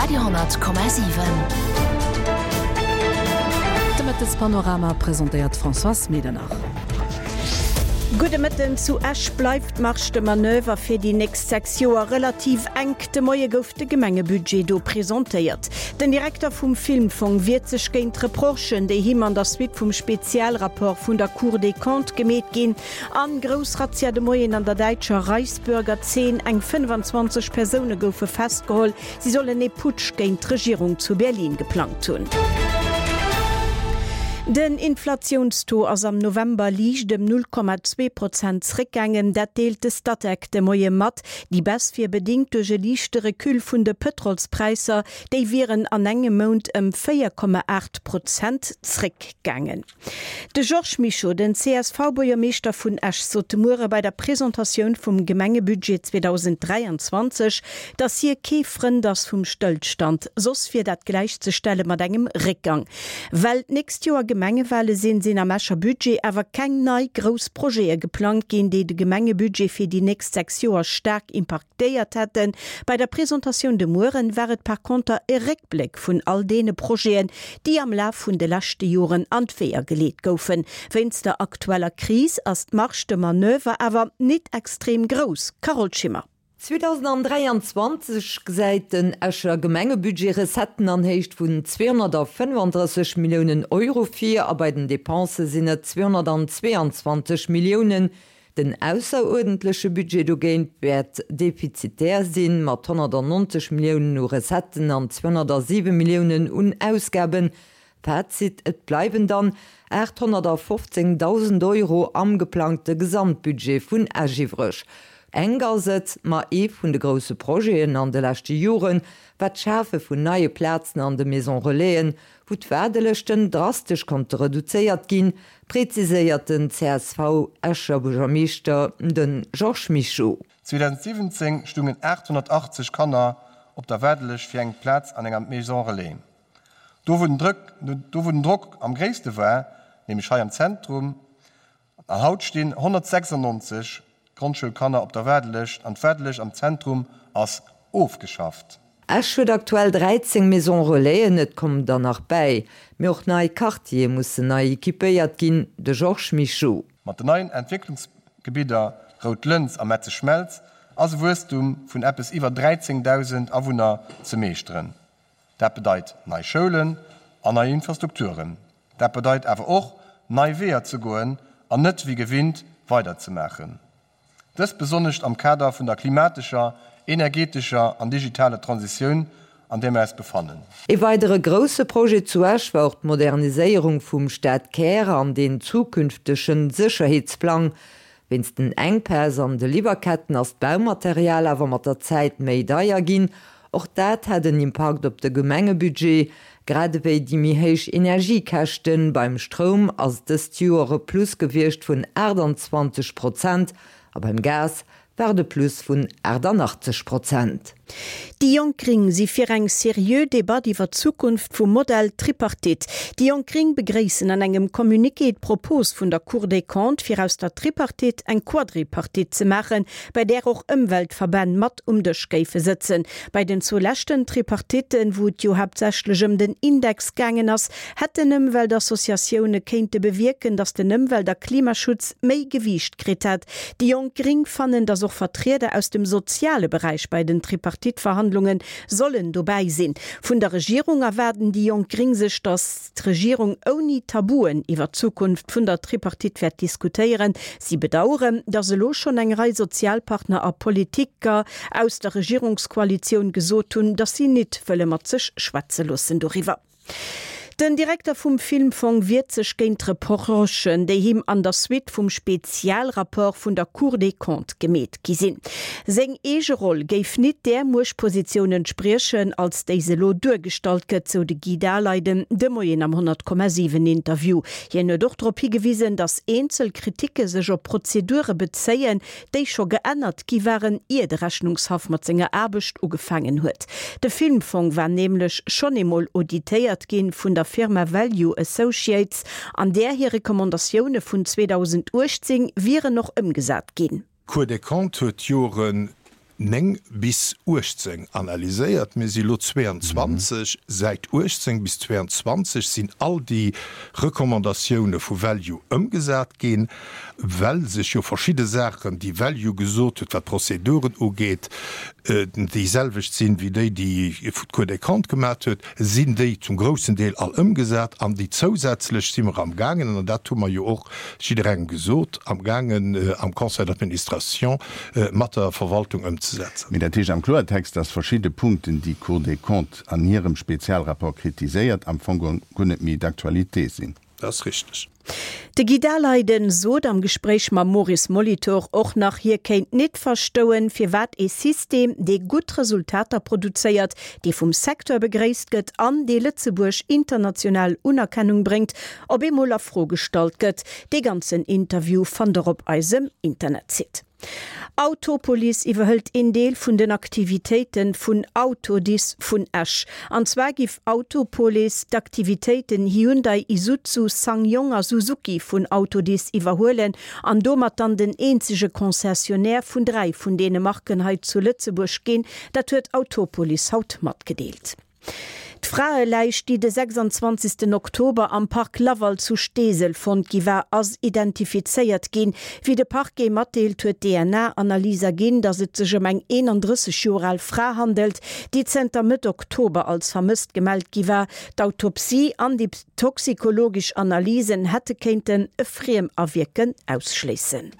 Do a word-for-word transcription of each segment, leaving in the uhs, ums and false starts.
Radio honnert Komma siwen. De Mëttespanorama presentéiert d'Françoise Medernach. Gudde Mëtten, Zu Esch bleift d'Marge de Manoeuvre fir déi nächst sechs Joer relativ enk. De Moie gouf de Gemengebudget do presentéiert. Den Direkter vum Filmfong wiert sech géint d'Reprochen, déi him an der Suite vum Spezialrapport vun der Cour des Comptes gemeet ginn. An grouss Razzia de Moien an der däitscher Reichsbürger-Zeen, Eng fënnfanzwanzeg Persoune goufe festgeholl, si sollen ee Putsch géint d'Regierung zu Berlin geplangt hunn. Den Inflatiounstaux ass am November liicht ëm null Komma zwee Prozent zréckgaangen. Dat deelt de Statec de Moie mat. Déi Baisse wier bedéngt duerch e liichte Recul vun de Pëtrolspräisser. Déi wieren an engem Mount ëm véier Komma aacht Prozent zréckgaangen. De Georges Mischo, den C S V-Buergermeeschter vun Esch, sot de Muere bei der Presentatioun vum Gemengebudget zweedausend dräianzwanzeg datt hie kee Frënd ass vum Stëllstand, soss wier dat gläichzestelle mat engem Réckgang. Well d'nächst Joer Gemengewale sinn, sinn am Escher Budget awer keng nei grouss Projete geplangt ginn, déi de Gemengebudget fir déi nächst sechs Joer staark impaktéiert hätten. Bei der Presentatioun de Mueren war et par konter e Réckbléck vun all deene Projeten, déi am Laf vun de leschte Joren an d'Weeër geleet goufen. Wéinst der aktueller Kris ass d'Marge de Manoeuvre awer nit extrem grouss. Carole Schimmer. zweedausendräianzwanzeg gesäit den Escher Gemengebudget Recetten an Héicht vun zweehonnertfënnefandrësseg Milliounen Euro vir a bei den Depensë sinn et zweehonnertzweeanzwanzeg Milliounen. Den ausseruerdentleche Budget dogéint wäert defizitär sinn, mat honnertnonzeg Milliounen u Recetten an zweehonnertsiwe Milliounen un Ausgaben. Fazit, Et bleiwen dann aathonnertfofzéngdausend Euro am geplangte Gesamtbudget vun Esch iwwreg. Enk ass et, ma ee vun de grousse Projeten an de leschte Joren war d'Schafe vun neie Plazen an de Maison Relaisen, wou d'Waardelëschten drastesch konnte reduzéiert ginn, präziséiert den C S V-Escher Buergermeeschter, de Georges Mischo. zweedausentsiwwenzéng stungen aathonnertachtzeg Kanner op der Waardelëscht fir eng Plaz an enger Maison Relais. Do wou den Drëck, do wou den Drock am gréisste war, nämlech hei am Zentrum. An haut stinn honnertsechsannonzeg Grondschoulkanner op der Waardelëscht an d'Waardelëscht am Zentrum ass ofgeschafft. Esch huet aktuell dräizéng Maison Relaisen, et kommen der nach bäi. Mee och nei Quartiere mussen nei equipéiert ginn, de Georges Mischo. Mat den neien Entwécklungsgebidder Rout Lëns a Metzeschmelz ass e Wuesstum vun eppes iwwer dräizéngdausend Awunner ze meeschteren. Dat bedeit nei Schoulen an nei Infrastrukturen. Dat bedeit awer och, nei Weeër ze goen an net wéi gewinnt weiderzemaachen. Dëst besonnescht am Kader vun der klimatescher, energetescher an digitaler Transitioun, an där mir eis befannen. Ee weidere grousse Projet zu Esch war och d'Moderniséierung vum Stadkär an den zukünftege Sécherheetsplang. Wéinst den Enkpäss an de Liwwerketten ass d'Baumaterial awer mat der Zäit méi deier ginn. Och dat hätt en Impakt op de Gemengebudget, grad ewéi déi méi héich Energiekäschten. Beim Stroum ass et dëst Joer e Plus gewiescht vun aachtanzwanzeg Prozent a beim Gas war et e Plus vun aachtannachtzeg Prozent. Déi Jonk Gréng si fir eng seriö Debatt iwwer d'Zukunft vum Modell Tripartite. Déi Jonk Gréng begréissen an engem Communiqué d'Propos vun der Cour des Comptes, fir aus der Tripartite eng Quadripartite ze maachen, bei där och Ëmweltverbänn mat um Dësch géife sëtzen. Bei den zwou leschten Tripartitten, wou et jo haaptsächlech ëm den Index gaangen ass, hätten Ëmweltassociatioune kéinte bewierken, datt den Ëmwelt a Klimaschutz méi Gewiicht kritt hätt. Déi Jonk Gréng fannen, datt och Vertrieder aus dem soziale Beräich bei den Tripartite-Verhandlunge sollen dobäi sinn. Vun der Regierung erwaarden déi Jonk Gréng sech, datt d'Regierung ouni Tabuen iwwer d'Zukunft vun der Tripartite wäert diskutéieren. Si bedaueren, datt elo schonn eng Rei Sozialpartner a Politiker aus der Regierungskoalitioun gesot hunn, datt si nit wëlle mat sech schwätze loossen doriwwer. Den Direkter vum Filmfong wiert sech géint d'Reprochen, déi him an der Suite vum Spezialrapport vun der Cour des Comptes gemeet gi sinn. Seng eege Roll géif nit där Muechtpositioun entspriechen, als déi se elo duergestallt gëtt, sou de Guy Daleiden de Moien am honnert Komma siwen Interview. Hien huet och drop higewisen, datt eenzel Kriticke sech op Prozedure bezéien, déi scho geännert gi waren, ier de Rechnungshaff mat senger Aarbecht ugefaangen huet. De Filmfong war nämlech schonn eemol auditéiert ginn vun der Firma Value Associates, an där hir Recommandatioune vun zweedausenduechtzéng wieren och ëmgesat ginn. D'Cour des Comptes huet Joren néng bis uechtzéng analyséiert. Mir si lo zweeanzwanzeg. Säit uechtzéng bis zweeanzwanzeg sinn all déi Recommandatioune vu Value ëmgesat ginn, well sech jo verschidde Saachen, déi Value gesot huet, wat d'Prozeduren ugeet, déi selwecht sinn wéi déi, déi d'Cour des Comptes gemat huet, sinn déi zum groussen Deel all ëmgesat. An déi zousätzlech si mer amgaangen, an dat hu mer jo och jidderengem gesot, amgaangen am Conseil d'administration mat der Verwaltung ëmzesetzen. Mee dat heescht am Kloertext, dass verschidde Punkten, déi d'Cour des Comptes an hirem Spezialrapport kritiséiert, am Fong guer net méi d'actualité sinn. Dat ass richteg. De Guy Daleiden sot am Gespréich mam Maurice Molitor och nach, hie kéint nit verstoen, firwat ee System, dee gutt Resultater produzéiert, dee vum Secteur begréisst gëtt an dee Lëtzebuerg international Unerkennung bréngt, op eemol a Fro gestallt gëtt. Dee ganzen Interview fannt der op eisem Internetsite. Autopolis iwwerhëlt een Deel vun den Aktivitéite vun Autodis vun Esch. An zwar giff Autopolis d'Aktivitéiten Hyundai, Isuzu, SsangYong a Suzuki vun Autodis iwwerhuelen an domat dann den eenzege Concessionnaire vun dräi vun deene Marken hei zu Lëtzebuerg ginn. Dat huet Autopolis haut matgedeelt. D'Fraeläich, déi de sechsandzwanzegsten Oktober am Park Laval zu Steesel fonnt gi war, ass identifizéiert ginn. Wéi de Parquet matdeelt, huet d'DNA-Analys erginn, datt et sech ëm eng eenandrësseg Joer al Fra handelt, déi zënter Mëtt Oktober als vermësst gemellt gi war. D'Autopsie an déi toxikologesch Analysen hätte kéinten e Friemawierken ausschléissen.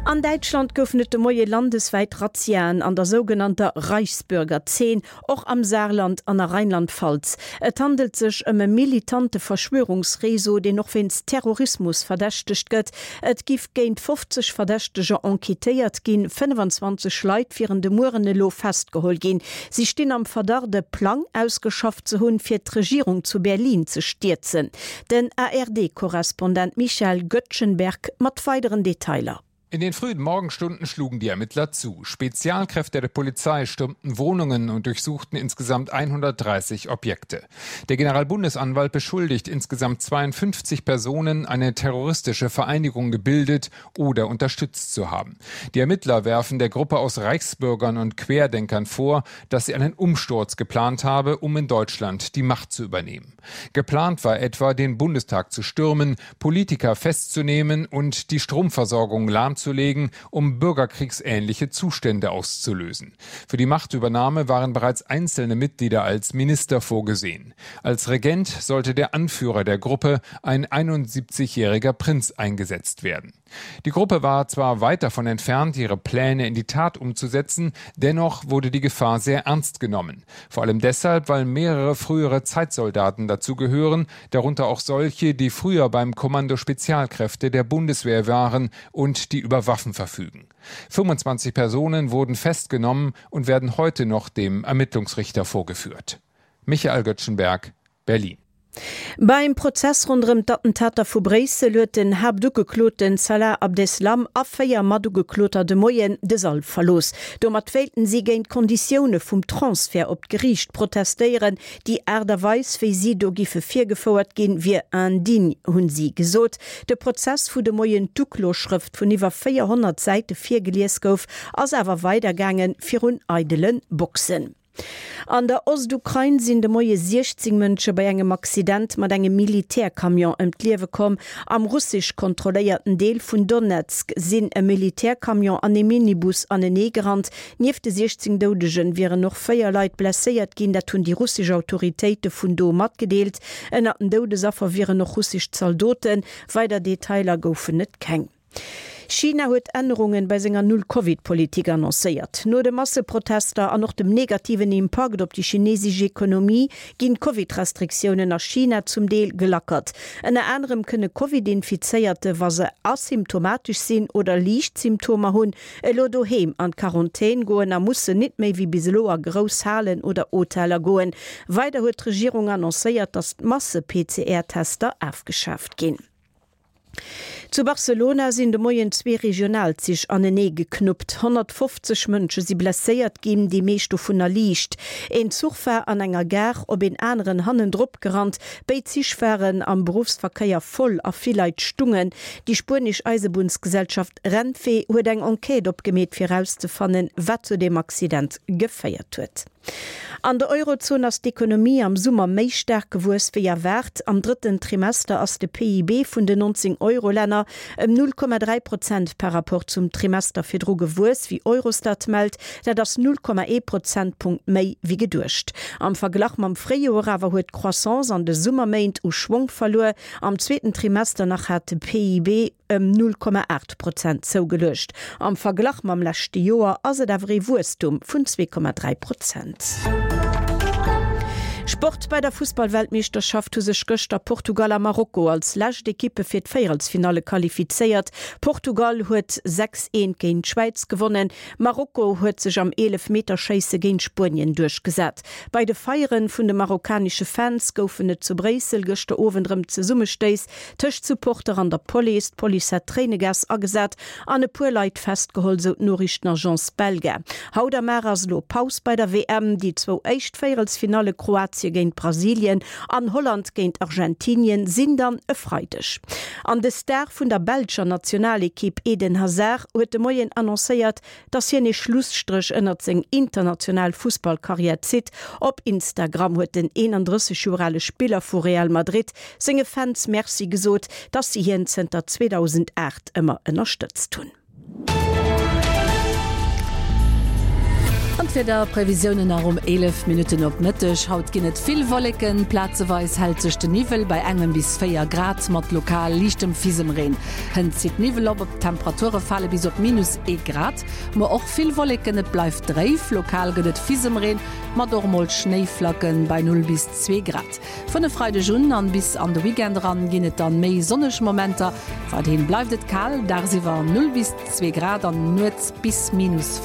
An Däitschland goufen et de Moie landeswäit Razziaen an der sougenannter Reichsbürger-Zeen, och am Saarland an a Rheinland-Pfalz. Et handelt sech ëm e militante Verschwörungsreseau, deen och wéinst Terrorismus verdächtegt gëtt. Et giff géint fofzeg Verdächteger enquêtéiert ginn, fënnefenzwanzeg Leit wieren de Mueren elo festgeholl ginn. Si stinn am Verdacht, e Plang ausgeschafft ze hunn, fir d'Regierung zu Berlin ze stierzen. Den A R D-Korrespondent Michael Göttschenberg mat weideren Detailer. In den frühen Morgenstunden schlugen die Ermittler zu. Spezialkräfte der Polizei stürmten Wohnungen und durchsuchten insgesamt hundertdreißig Objekte. Der Generalbundesanwalt beschuldigt insgesamt zweiundfünfzig Personen, eine terroristische Vereinigung gebildet oder unterstützt zu haben. Die Ermittler werfen der Gruppe aus Reichsbürgern und Querdenkern vor, dass sie einen Umsturz geplant habe, um in Deutschland die Macht zu übernehmen. Geplant war etwa, den Bundestag zu stürmen, Politiker festzunehmen und die Stromversorgung lahmzulegen, um bürgerkriegsähnliche Zustände auszulösen. Für die Machtübernahme waren bereits einzelne Mitglieder als Minister vorgesehen. Als Regent sollte der Anführer der Gruppe, ein einundsiebzigjähriger Prinz, eingesetzt werden. Die Gruppe war zwar weit davon entfernt, ihre Pläne in die Tat umzusetzen, dennoch wurde die Gefahr sehr ernst genommen. Vor allem deshalb, weil mehrere frühere Zeitsoldaten dazu gehören, darunter auch solche, die früher beim Kommando Spezialkräfte der Bundeswehr waren und die über Waffen verfügen. fünfundzwanzig Personen wurden festgenommen und werden heute noch dem Ermittlungsrichter vorgeführt. Michael Göttschenberg, Berlin. Beim Prozess ronderëm d'Attentater vu Bréissel huet den Haaptugekloten Salah Abdeslam a véier Matugekloter de Moien de Sall verlooss. Domat wéilten si géint d'Konditioune vum Transfert op d'Geriicht protestéieren. Déi Aart a Weis, wéi si do giffe virgefouert ginn, wier indigne, hunn si gesot. De Prozess, wou de Moien d'Ukloschrëft vun iwwer véierhonnert Säite virgelies gouf, ass awer weidergaangen, virun eidele Boxen. An der Ostukrain sinn de Moie siechzéng Mënsche bei engem Accident mat engem Militärcamion ëm d'Liewe komm. Am russesch kontrolléierten Deel vun Donezk sinn e Militärcamion an e Minibus anenee gerannt. Nieft de siechzéng Doudegen wieren och véier Leit blesséiert ginn, dat hunn déi russesch Autoritéite vun do matgedeelt. Ënnert den Doudesaffer wieren och russesch Zaldoten. Weider Detailer goufen et keng. China huet Ännerungen bei senger Null-Covid-Politik annoncéiert. No de Masseprotester an och dem negativen Impakt op déi chinesesch Ekonomie ginn d'Covid-Restriktiounen a China zum Deel gelackert. Ënner anerem kënne Covid-Infizéierte, wa se asymptomatesch sinn oder liicht Symptomer hunn, elo doheem an d'Quarantän goen a mussen nit méi wéi bis elo a grouss Halen oder Hoteller goen. Weider huet d'Regierung annoncéiert, datt d'Masse-P C R-Tester afgeschaaft ginn. Zu Barcelona sinn de Moien zwee Regionalzich anenee geknuppt. honnertfofzeg Mënsche si blesséiert ginn, déi meescht dovunner liicht. Een Zuch war an enger Gare op een aneren hannendrop gerannt. Béid Zich waren am Beruffsverkéier voll a vill Leit stungen. Déi spuenesch Eisebunnsgesellschaft Renfe huet eng Enquête opgemeet fir erauszefannen, wat zu deem Accident geféiert huet. An der Eurozon ass d'Ekonomie am Summer méi staark gewuess wéi erwaart. Am drëtten Trimester ass de P I B vun den neunzéng Euro-Länner ëm null Komma dräi Prozent par Rapport zum Trimester virdru gewuess, wéi Eurostat mellt. Dat ass null Komma ee Prozentpunkt méi wéi geduecht. Am Verglach mam Fréijoer awer huet d'Croissance an de Summerméint u Schwong verluer. Am zweeten Trimester nach hat de P I B ëm null Komma aacht Prozent zougeluecht. Am Verglach mam leschte Joer ass et awer ee Wuesstum vun zwee Komma dräi Prozent. Sport, Bei der Fussballweltmeeschterschaft hu sech gëschter Portugal a Marokko als lescht Ekippe fir d'Véierelsfinalle qualifizéiert. Portugal huet sechs, eent géint d'Schwäiz gewonnen, Marokko huet sech am Eelefmeterschéisse géint Spuenien duerchgesat. Bei de Feiere vun de marokkanesche Fans goufen et zu Bréissel gëschter Owend rëm Zesummestéiss tëscht Supporter an der Police. D'Police hätt Tréinegas agesat an e puer Leit festgeholl, sou d'Noriichtenagence Belga. Haut am Mar ass elo Paus bei der W M. Déi zwou éischt Véierelsfinalle Kroatie géint Brasilien an Holland géint Argentinien sinn dann e Freideg. An de Star vun der belscher Nationalekipp Eden Hazard huet de Moien annoncéiert, dass hien ee Schlusstréch ënnert seng international Fussballkarriär zitt. Op Instagram huet den eenandrësseg Joer ale Spiller vu Real Madrid senge Fans Merci gesot, dass si hien zënter zweedausendaacht ëmmer ënnerstëtzt hunn. An d'Wiederprevisiounen nach um eelef Minutten op Mëtteg. Haut ginn et vill Wolleken, plazeweis hält sech den Niwwel bei engem bis véier Grad mat lokal liichtem Fisemreen. Hënt zitt Niwwel op, d'Temperature fale bis op minus ee Grad. Muer och vill Wolleken, et bleift dréif, lokal gëtt et Fisemreen mat och emol Schnéiflacken bei null bis zwee Grad. Vun e Freideg un an bis an de Weekend eran ginn et dann méi sonneg Momenter. Weiderhin bleift et kal, dagsiwwer null bis zwee Grad an nuets bis minus véier.